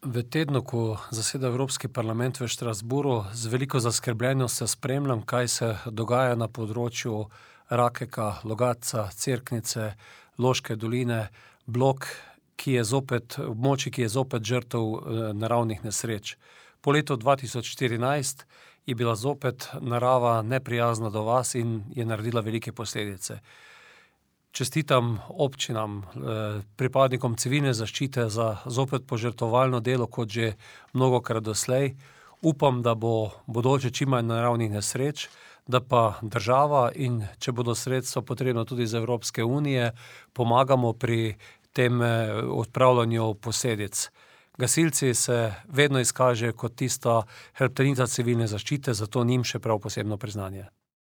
V tednu, ko zaseda Evropski parlament v Štrasburu, z veliko zaskrbljenostjo spremljam, kaj se dogaja na področju Rakeka, Logatca, Cerknice, Loške doline, območij, ki je zopet žrtev naravnih nesreč. Po letu 2014 je bila zopet narava neprijazna do vas in je naredila velike posledice. Čestitam občinam, pripadnikom civilne zaščite za zopet požrtvovalno delo, kot že mnogokrat doslej. Upam, da bo bodoče čim manj naravnih nesreč, da pa država in če bodo sredstva potrebna tudi iz Evropske unije, pomagamo pri tem odpravljanju posledic. Gasilci se vedno izkažejo kot tista hrbtenica civilne zaščite, zato njim še prav posebno priznanje.